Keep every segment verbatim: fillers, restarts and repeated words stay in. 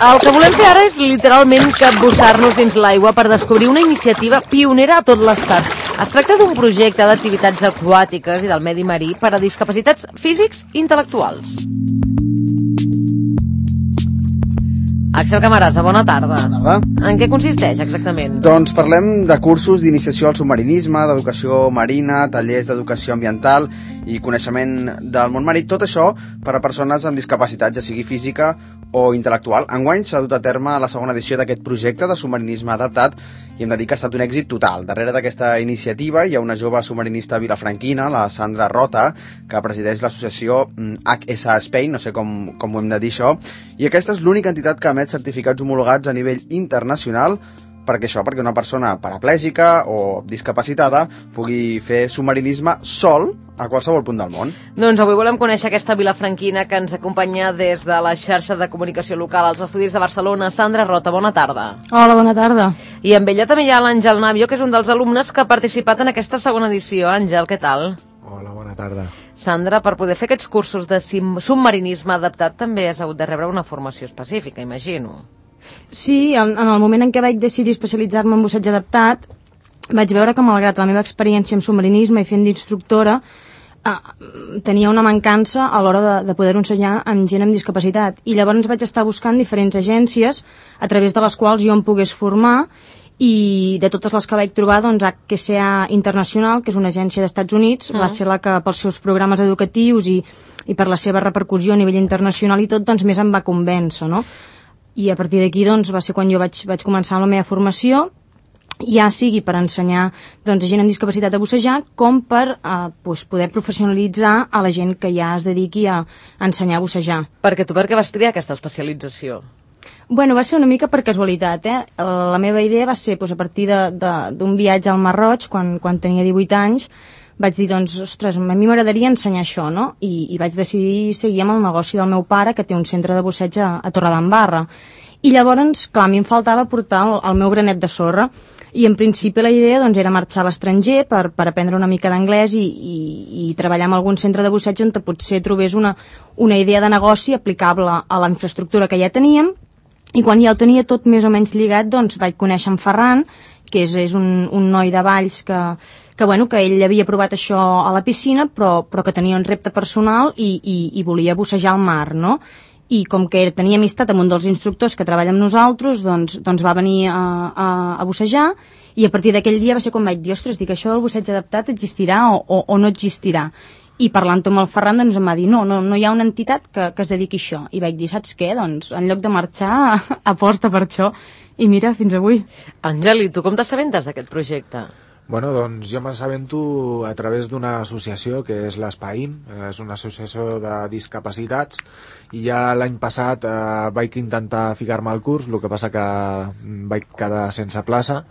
El que volem fer ara és literalment capbussar-nos dins l'aigua per descobrir una iniciativa pionera a tot l'estat. Es tracta d'un projecte d'activitats aquàtiques i del medi marí per a discapacitats físics i intel·lectuals. Axel Camarasa, bona tarda. Bona tarda. En què consisteix exactament? Doncs parlem de cursos d'iniciació al submarinisme, d'educació marina, tallers d'educació ambiental i coneixement del món marí, tot això per a persones amb discapacitat, ja sigui física o intel·lectual. Enguany s'ha dut a terme la segona edició d'aquest projecte de submarinisme adaptat i hem de dir que ha estat un èxit total. Darrere d'aquesta iniciativa hi ha una jove submarinista vilafranquina, la Sandra Rota, que presideix l'associació H S A Spain, no sé com, com ho hem de dir això, i aquesta és l'única entitat que emet certificats homologats a nivell internacional perquè això, perquè una persona paraplègica o discapacitada pugui fer submarinisme sol a qualsevol punt del món. Doncs avui volem conèixer aquesta vilafranquina que ens acompanya des de la xarxa de comunicació local als estudis de Barcelona. Sandra Rota, bona tarda. Hola, bona tarda. I amb ella també hi ha l'Àngel Navio, que és un dels alumnes que ha participat en aquesta segona edició. Àngel, què tal? Hola, bona tarda. Sandra, per poder fer aquests cursos de submarinisme adaptat també has hagut de rebre una formació específica, imagino. Sí, en, en el moment en què vaig decidir especialitzar-me en busseig adaptat, vaig veure que malgrat la meva experiència en submarinisme i fent d'instructora, eh, tenia una mancança a l'hora de, de poder ensenyar amb gent amb discapacitat. I llavors vaig estar buscant diferents agències a través de les quals jo em pogués formar, i de totes les que vaig trobar, doncs H S A Internacional, que és una agència d'Estats Units, mm. va ser la que pels seus programes educatius i, i per la seva repercussió a nivell internacional i tot, doncs més em va convèncer, no? I a partir d'aquí doncs, va ser quan jo vaig, vaig començar amb la meva formació, ja sigui per ensenyar doncs, a gent amb discapacitat a bussejar, com per eh, doncs, poder professionalitzar a la gent que ja es dediqui a ensenyar a bussejar. Perquè tu per què vas triar aquesta especialització? Bueno, va ser una mica per casualitat, eh? La meva idea va ser doncs, a partir d'un viatge al Mar Roig, quan, quan tenia divuit anys, vaig dir, doncs, ostres, a mi m'agradaria ensenyar això, no? I, i vaig decidir seguir amb el negoci del meu pare, que té un centre de busseig a, a Torredembarra. I llavors, clar, a mi em faltava portar el, el meu granet de sorra, i en principi la idea doncs, era marxar a l'estranger per, per aprendre una mica d'anglès i, i, i treballar en algun centre de busseig on potser trobés una, una idea de negoci aplicable a la infraestructura que ja teníem, i quan ja ho tenia tot més o menys lligat, doncs vaig conèixer en Ferran, que és, és un, un noi de Valls que, que, bueno, que ell havia provat això a la piscina, però, però que tenia un repte personal i, i, i volia bussejar al mar, no? I com que tenia amistat amb un dels instructors que treballa amb nosaltres, doncs, doncs va venir a, a, a bussejar, i a partir d'aquell dia va ser quan vaig dir, ostres, dic, això del busseig adaptat existirà o, o, o no existirà? I parlant amb el Ferran doncs em va dir, no, no, no hi ha una entitat que, que es dediqui a això. I vaig dir, saps què? Doncs en lloc de marxar, aposta per això. I mira, fins avui. Àngel, i tu com t'assabentes d'aquest projecte? Bueno, doncs jo m'assabento a través d'una associació que és l'Espaim, és una associació de discapacitats, i ja l'any passat eh, vaig intentar ficar-me al curs, el que passa que vaig quedar sense plaça,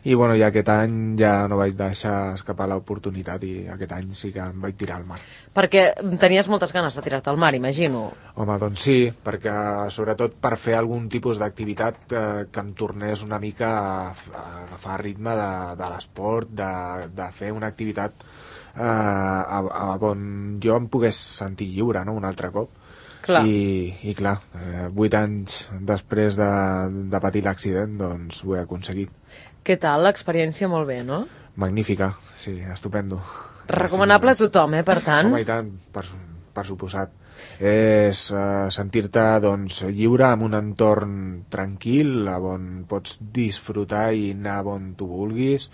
i bueno, ja aquest any ja no vaig deixar escapar l'oportunitat i aquest any sí que em vaig tirar al mar. Perquè tenies moltes ganes de tirar-te al mar, imagino. Home, doncs sí, perquè sobretot per fer algun tipus d'activitat eh, que em tornés una mica a, a agafar ritme de, de l'esport, de, de fer una activitat eh, a, a on jo em pogués sentir lliure, no?, un altre cop. Clar. I, i clar, eh, vuit anys després de, de patir l'accident, doncs ho he aconseguit. Què tal? L'experiència molt bé, no? Magnífica, sí, estupendo. Recomanable a tothom, eh, per tant? Home, i tant, per, per suposat. És uh, sentir-te doncs, lliure en un entorn tranquil, on pots disfrutar i anar on tu vulguis,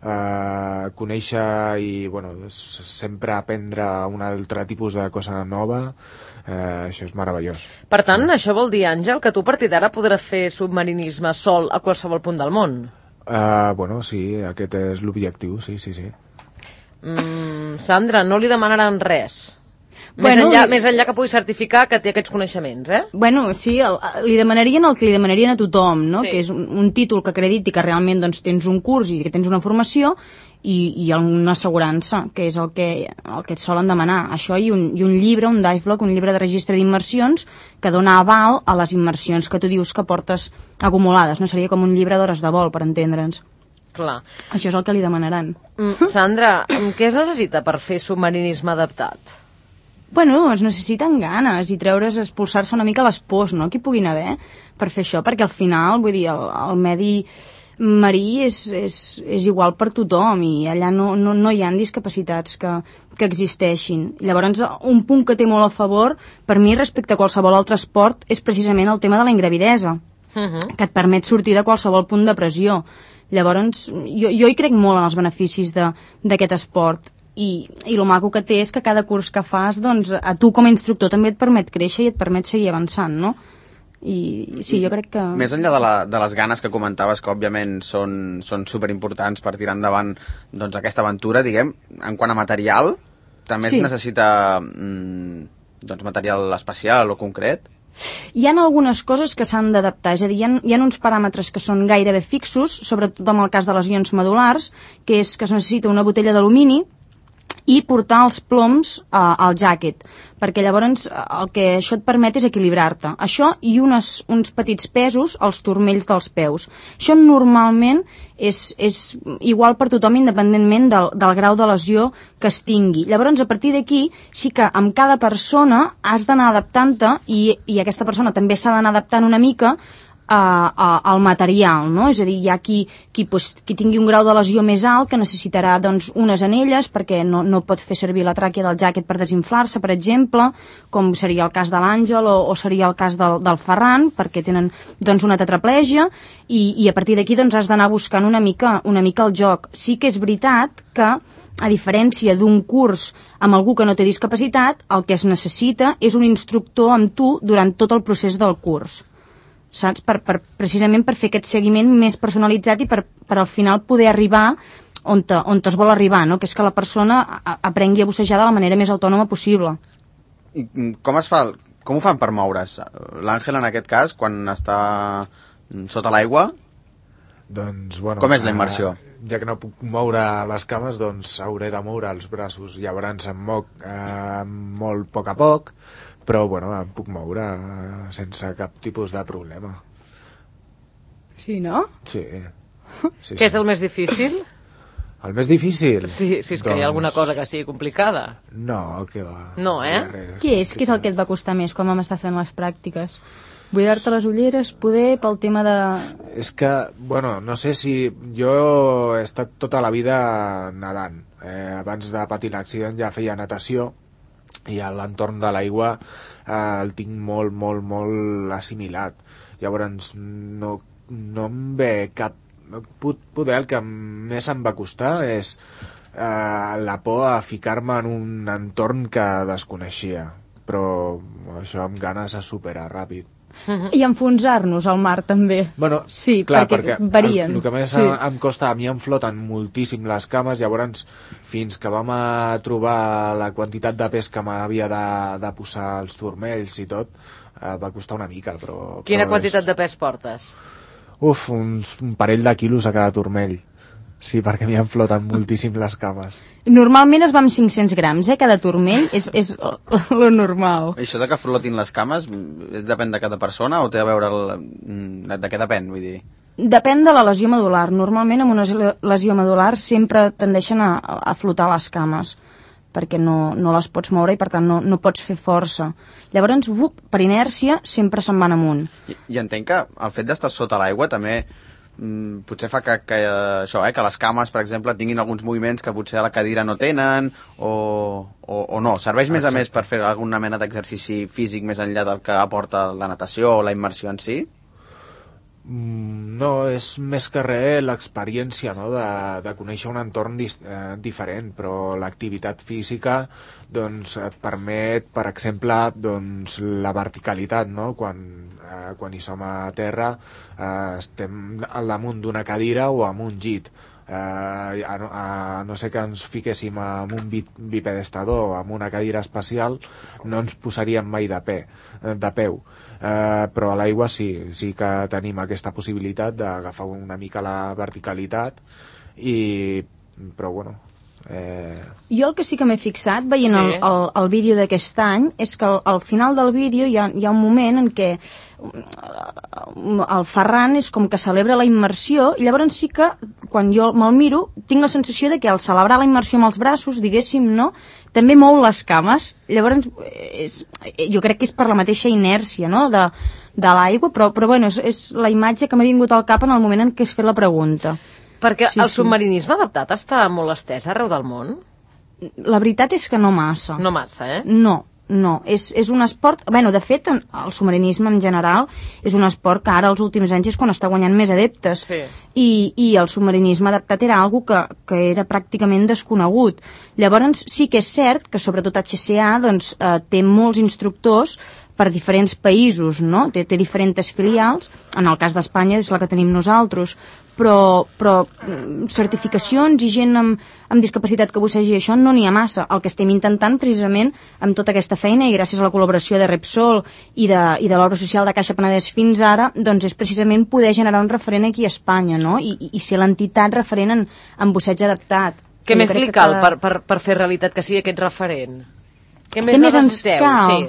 uh, conèixer i bueno, sempre aprendre un altre tipus de cosa nova. Uh, això és meravellós. Per tant, això vol dir, Àngel, que tu a partir d'ara podràs fer submarinisme sol a qualsevol punt del món? Uh, bueno, sí, aquest és l'objectiu, sí, sí, sí. Mm, Sandra, no li demanaran res? Més, Bueno, enllà, li- més enllà que pugui certificar que té aquests coneixements, eh? Bueno, sí, el, li demanarien el que li demanarien a tothom, no? Sí. Que és un, un títol que acrediti que realment doncs, tens un curs i que tens una formació i, i una assegurança, que és el que, el que et solen demanar. Això i un, i un llibre, un D I F L O C, un llibre de registre d'immersions que dona aval a les immersions que tu dius que portes acumulades. No seria com un llibre d'hores de vol, per entendre'ns. Clar. Això és el que li demanaran. Mm, Sandra, què es necessita per fer submarinisme adaptat? Bueno, es necessiten ganes i treure's, expulsar-se una mica les pors, no?, que hi puguin haver per fer això, perquè al final, vull dir, el, el medi marí és, és, és igual per tothom i allà no, no, no hi ha discapacitats que, que existeixin. Llavors, un punt que té molt a favor, per mi, respecte a qualsevol altre esport, és precisament el tema de la ingravidesa, uh-huh. que et permet sortir de qualsevol punt de pressió. Llavors, jo, jo hi crec molt en els beneficis d'aquest esport. I, i el maco que té és que cada curs que fas, doncs, a tu com a instructor també et permet créixer i et permet seguir avançant, no? I sí, jo crec que... Més enllà de, la, de les ganes que comentaves, que òbviament són, són superimportants per tirar endavant doncs, aquesta aventura, diguem, en quant a material, també sí. es necessita mm, doncs, material especial o concret? Hi ha algunes coses que s'han d'adaptar, és a dir, hi ha, hi ha uns paràmetres que són gairebé fixos, sobretot en el cas de lesions medul·lars, que és que es necessita una botella d'alumini i portar els ploms uh, al jàquet, perquè llavors el que això et permet és equilibrar-te. Això i unes, uns petits pesos als turmells dels peus. Això normalment és, és igual per tothom independentment del, del grau de lesió que es tingui. Llavors, a partir d'aquí, sí que amb cada persona has d'anar adaptant-te i, i aquesta persona també s'ha d'anar adaptant una mica al material, no? És a dir, hi ha qui, qui, pues, qui tingui un grau de lesió més alt que necessitarà doncs, unes anelles perquè no, no pot fer servir la tràquea del jàquet per desinflar-se, per exemple, com seria el cas de l'Àngel o, o seria el cas del, del Ferran, perquè tenen doncs, una tetraplegia i, i a partir d'aquí doncs, has d'anar buscant una mica, una mica el joc. Sí que és veritat que a diferència d'un curs amb algú que no té discapacitat, el que es necessita és un instructor amb tu durant tot el procés del curs. Saps? Per, per, precisament per fer aquest seguiment més personalitzat i per, per al final poder arribar on, te, on es vol arribar, no? Que és que la persona a, aprengui a bussejar de la manera més autònoma possible. I com es fa, com ho fan per moure's? L'Àngel, en aquest cas, quan està sota l'aigua, doncs, bueno, com és la immersió? Eh, ja que no puc moure les cames, doncs hauré de moure els braços. Llavors em moc eh, molt a poc a poc, però bueno, em puc moure sense cap tipus de problema. Sí, no? Sí. sí Què és sí. el més difícil? El més difícil? Sí, si és que doncs... hi ha alguna cosa que sigui complicada. No, que va. No, eh? Què és? Què és el que et va costar més quan vam estar fent les pràctiques? Buidar-te les ulleres, poder, pel tema de... És que, bueno, no sé si... Jo he estat tota la vida nedant. Eh, abans de patir l'accident ja feia natació, i a l'entorn de l'aigua eh, el tinc molt, molt, molt assimilat. Llavors no, no em ve cap... Poder el que més em va costar és eh, la por a ficar-me en un entorn que desconeixia, però això amb ganes a superar ràpid. I enfonsar-nos al mar també. Bueno, sí, clar, perquè, perquè varien. El, el que més sí. em, em costa, a mi em floten moltíssim les cames, llavors fins que vam a trobar la quantitat de pes que m'havia de, de posar els turmells i tot, eh, va costar una mica, però... Quina però quantitat és... de pes portes? Uf, uns, un parell de quilos a cada turmell. Sí, perquè m'hi han flotat moltíssim les cames. Normalment es va amb cinc-cents grams, eh? Cada turmell és, és lo normal. Això de que flotin les cames depèn de cada persona o té a veure el... de què depèn, vull dir? Depèn de la lesió medular. Normalment amb una lesió medular sempre tendeixen a, a flotar les cames perquè no, no les pots moure i per tant no, no pots fer força. Llavors, up, per inèrcia, sempre se'n van amunt. I, i entenc que el fet d'estar sota l'aigua també mm, potser fa que, que, això, eh, que les cames, per exemple, tinguin alguns moviments que potser a la cadira no tenen o, o, o no. Serveix més a més per fer alguna mena d'exercici físic més enllà del que aporta la natació o la immersió en si? No, és més que res l'experiència, no? de, de conèixer un entorn dis, eh, diferent, però l'activitat física doncs, et permet, per exemple, doncs, la verticalitat, no? quan, eh, quan hi som a terra eh, estem al damunt d'una cadira o amb un llit. Eh, a, no, a no ser que ens fiquéssim amb un bipedestador o amb una cadira espacial, no ens posaríem mai de, pe, de peu. Uh, però a l'aigua sí, sí que tenim aquesta possibilitat d'agafar una mica la verticalitat i, però bueno, Eh... Jo el que sí que m'he fixat, veient sí. el, el, el vídeo d'aquest any, és que al, al final del vídeo hi ha, hi ha un moment en què el Ferran és com que celebra la immersió, i llavors sí que, quan jo me'l miro, tinc la sensació de que al celebrar la immersió amb els braços, diguéssim, no?, també mou les cames. Llavors, és, jo crec que és per la mateixa inèrcia, no?, de, de l'aigua, però, però bueno, és, és la imatge que m'ha vingut al cap en el moment en què has fet la pregunta. Perquè sí, el sí. submarinisme adaptat està molt estès arreu del món? La veritat és que no massa. No massa, eh? No, no. És, és un esport... Bueno, de fet, el submarinisme en general és un esport que ara, als últims anys, és quan està guanyant més adeptes. Sí. I, i el submarinisme adaptat era algo que, que era pràcticament desconegut. Llavors, sí que és cert que, sobretot, H C A doncs, eh, té molts instructors per diferents països, no? Té, té diferents filials, en el cas d'Espanya és la que tenim nosaltres, però, però certificacions i gent amb, amb discapacitat que bussegi això no n'hi ha massa. El que estem intentant precisament amb tota aquesta feina i gràcies a la col·laboració de Repsol i de, i de l'obra social de Caixa Penedès fins ara, doncs és precisament poder generar un referent aquí a Espanya, no? I, i, i ser l'entitat referent en, en busseig adaptat. Què més li cal cada... per, per, per fer realitat que sigui aquest referent? Què més, més ens cal? Sí.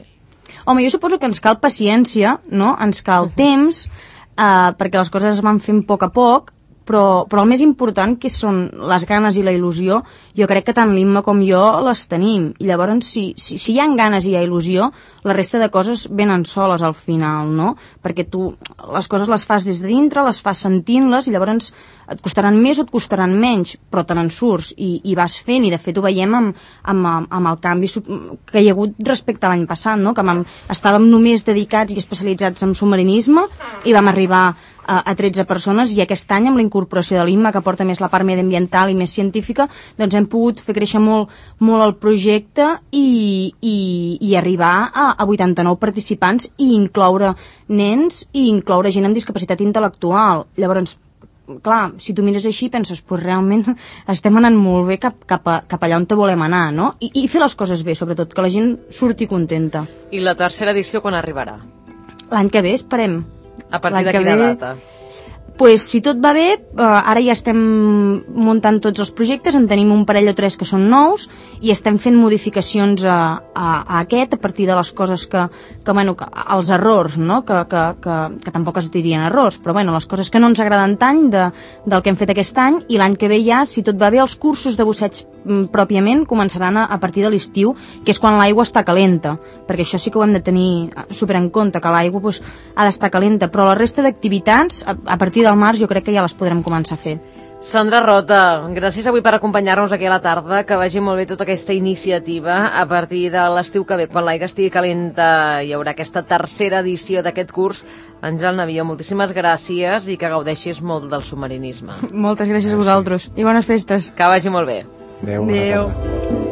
Home, jo suposo que ens cal paciència, no? Ens cal uh-huh. temps, eh, perquè les coses es van fent a poc a poc, però, però el més important, que són les ganes i la il·lusió, jo crec que tant l'Imma com jo les tenim. I llavors, si, si, si hi ha ganes i hi ha il·lusió, la resta de coses venen soles al final, no? Perquè tu les coses les fas des de dintre, les fas sentint-les, i llavors et costaran més o et costaran menys, però te n'en surts i, i vas fent, i de fet ho veiem amb, amb, amb el canvi que hi ha hagut respecte a l'any passat, no? Que vam, estàvem només dedicats i especialitzats en submarinisme i vam arribar a, a tretze persones, i aquest any amb la incorporació de l'Imma, que porta més la part mediambiental i més científica, doncs hem pogut fer créixer molt, molt el projecte i, i, i arribar a, a vuitanta-nou participants i incloure nens i incloure gent amb discapacitat intel·lectual. Llavors, clar, si tu mires així penses, pues realment estem anant molt bé cap, cap, a, cap allà on te volem anar, no? I, i fer les coses bé, sobretot, que la gent surti contenta. I la tercera edició quan arribarà? L'any que ve, esperem. A partir de quina ve... data? Pues, si tot va bé, eh, ara ja estem muntant tots els projectes, en tenim un parell o tres que són nous i estem fent modificacions a, a, a aquest a partir de les coses que, que bueno, que, els errors, no? que, que, que, que tampoc es dirien errors, però bueno, les coses que no ens agraden tant de, del que hem fet aquest any, i l'any que ve ja, si tot va bé, els cursos de busseig m, pròpiament començaran a, a partir de l'estiu, que és quan l'aigua està calenta, perquè això sí que ho hem de tenir super en compte, que l'aigua pues, ha d'estar calenta, però la resta d'activitats, a, a partir del març jo crec que ja les podrem començar a fer. Sandra Rota, gràcies avui per acompanyar-nos aquí a la tarda, que vagi molt bé tota aquesta iniciativa. A partir de l'estiu que ve, quan l'aigua estigui calenta, hi haurà aquesta tercera edició d'aquest curs. Àngel Navio, moltíssimes gràcies i que gaudeixis molt del submarinisme. Moltes gràcies a vosaltres i bones festes. Que vagi molt bé. Adéu, bona tarda.